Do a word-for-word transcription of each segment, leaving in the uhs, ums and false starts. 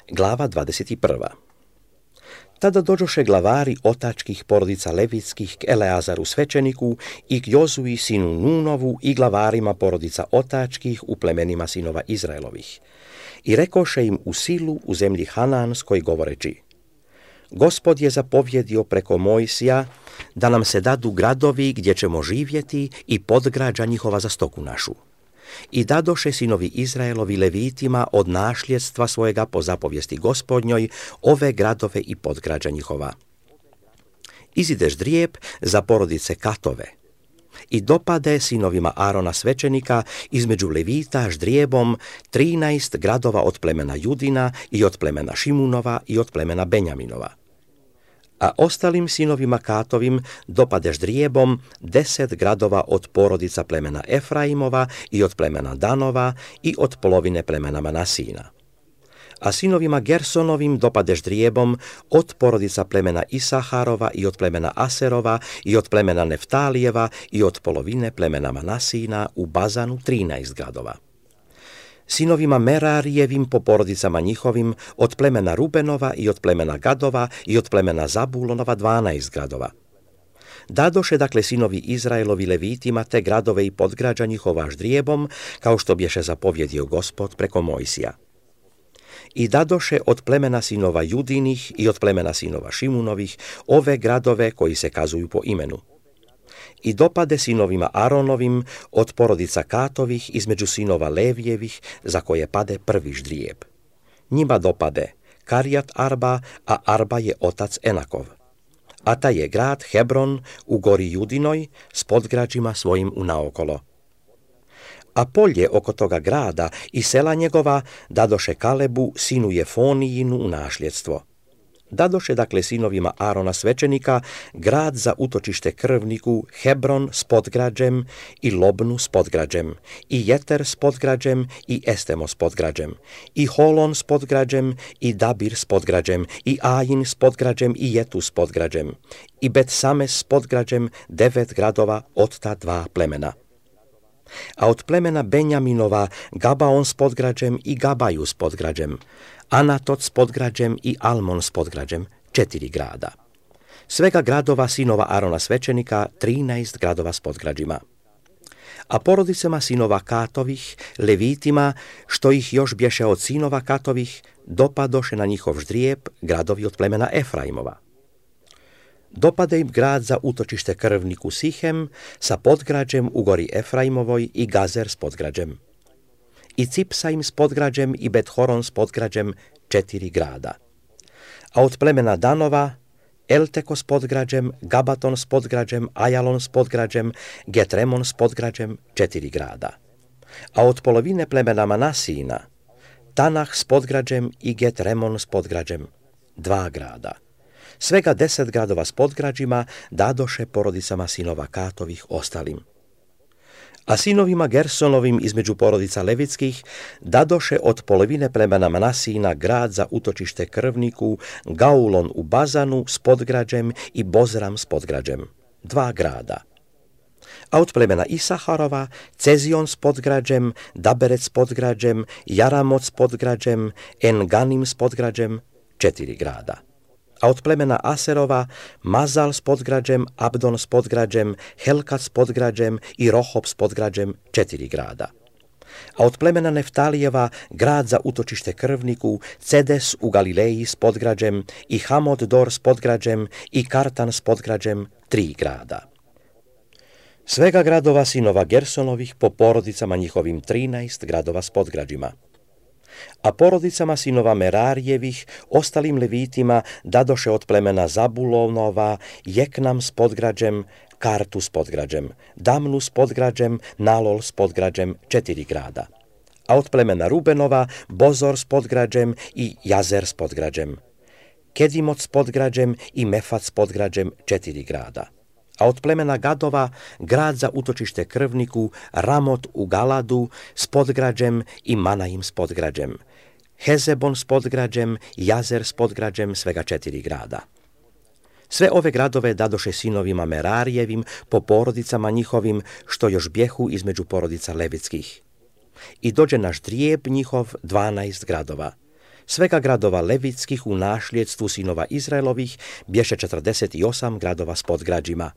Glava dvadeset prva. Tada dođoše glavari otačkih porodica levitskih k Eleazaru svećeniku i k Jozuji sinu Nunovu i glavarima porodica otačkih u plemenima sinova Izraelovih. I rekoše im u Silu u zemlji Hananskoj govoreći: Gospod je zapovjedio preko Mojsija da nam se dadu gradovi gdje ćemo živjeti i podgrađa njihova za stoku našu. I dadoše sinovi Izraelovi levitima od našljedstva svojega po zapovijesti Gospodnjoj ove gradove i podgrađa njihova. Izide ždrijeb za porodice Katove. I dopade sinovima Arona svećenika između levita ždrijebom trinaest gradova od plemena Judina i od plemena Šimunova i od plemena Benjaminova. A ostalim sinovima Katovim dopade ždrijebom deset gradova od porodica plemena Efraimova i od plemena Danova i od polovine plemena Manasina. A sinovima Gersonovim dopade ždrijebom od porodica plemena Isaharova i od plemena Aserova i od plemena Neftalijeva i od polovine plemena Manasina u Bazanu trinaest gradova. Sinovima Merarijevim po porodicama njihovim od plemena Rubenova i od plemena Gadova i od plemena Zabulonova dvanaest gradova. Dadoše dakle sinovi Izraelovi levitima te gradove i podgrađa njihova ždrijebom, kao što bješe zapovjedio Gospod preko Mojsija. I dadoše od plemena sinova Judinih i od plemena sinova Šimunovih ove gradove koji se kazuju po imenu. I dopade sinovima Aronovim od porodica Katovih između sinova Levijevih za koje pade prvi ždrijeb. Njima dopade Karijat Arba, a Arba je otac Enakov. A taj je grad Hebron u gori Judinoj s podgrađima svojim unaokolo. A polje oko toga grada i sela njegova dadoše Kalebu sinu Jefonijinu u našljedstvo. Dadoše dakle sinovima Arona svećenika grad za utočište krvniku Hebron s podgrađem i Lobnu s podgrađem i Jeter s podgrađem i Estemo s podgrađem i Holon s podgrađem i Dabir s podgrađem i Ajin s podgrađem i Jetu s podgrađem i Bet-Sames s podgrađem, devet gradova od ta dva plemena. A od plemena Benjaminova Gabaon s podgrađem i Gabaju s podgrađem, Anatot s podgrađem i Almon s podgrađem, četiri grada. Svega gradova sinova Arona svećenika, trinaest gradova s podgrađima. A porodicama sinova Katovih, levitima, što ih još bješe od sinova Katovih, dopadoše na njihov ždrijeb gradovi od plemena Efraimova. Dopade im grad za utočište krvniku Sihem sa podgrađem u gori Efraimovoj i Gazer s podgrađem. I Cipsaim s podgrađem i Bet-Horon s podgrađem, četiri grada. A od plemena Danova Elteko s podgrađem, Gabaton s podgrađem, Ajalon s podgrađem, Getremon s podgrađem, četiri grada. A od polovine plemena Manasina Tanah s podgrađem i Getremon s podgrađem, dva grada. Svega deset gradova s podgrađima dadoše porodicama sinova Katovih ostalim. A sinovima Gersonovim između porodica levitskih dadoše od polovine plemena Manasina grad za utočište krvniku Gaulon u Bazanu s podgrađem i Bozram s podgrađem, dva grada. A od plemena Isaharova Cezion s podgrađem, Daberec s podgrađem, Jaramot s podgrađem, Enganim s podgrađem, četiri grada. A od plemena Aserova Mazal s podgrađem, Abdon s podgrađem, Helkat s podgrađem i Rohob s podgrađem, četiri grada. A od plemena Neftalijeva grad za utočište krvniku Cedes u Galileji s podgrađem i Hamod Dor s podgrađem i Kartan s podgrađem, tri grada. Svega gradova sinova Gersonovih po porodicama njihovim trinaest gradova s podgrađima. A porodicama sinova Merarijevih, ostalim levitima, dadoše od plemena Zabulonova Jeknam s podgrađem, Kartu s podgrađem, Damnu s podgrađem, Nalol s podgrađem, četiri grada. A od plemena Rubenova Bozor s podgrađem i Jazer s podgrađem, Kedimot s podgrađem i Mefat s podgrađem, četiri grada. A od plemena Gadova grad za utočište krvniku Ramot u Galadu s podgrađem i Manaim s podgrađem, Hezebon s podgrađem, Jazer s podgrađem, svega četiri grada. Sve ove gradove dadoše sinovima Merarijevim po porodicama njihovim, što još bjehu između porodica levitskih. I dođe na ždrijeb njihov dvanaest gradova. Svega gradova levitskih u našljedstvu sinova Izraelovih bješe četrdeset osam gradova s podgrađima.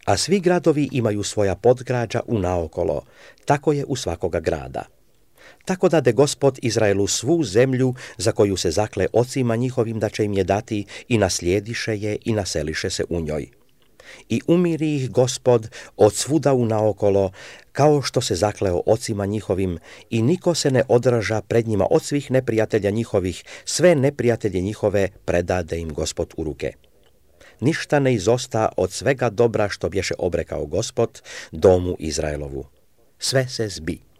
A svi gradovi imaju svoja podgrađa unaokolo, tako je u svakoga grada. Tako dade Gospod Izraelu svu zemlju za koju se zakle ocima njihovim da će im je dati i naslijediše je i naseliše se u njoj. I umiri ih Gospod od svuda unaokolo, kao što se zakleo ocima njihovim, i niko se ne odraža pred njima od svih neprijatelja njihovih, sve neprijatelje njihove predade im Gospod u ruke. Ništa ne izosta od svega dobra što bješe obrekao Gospod domu Izraelovu. Sve se zbi.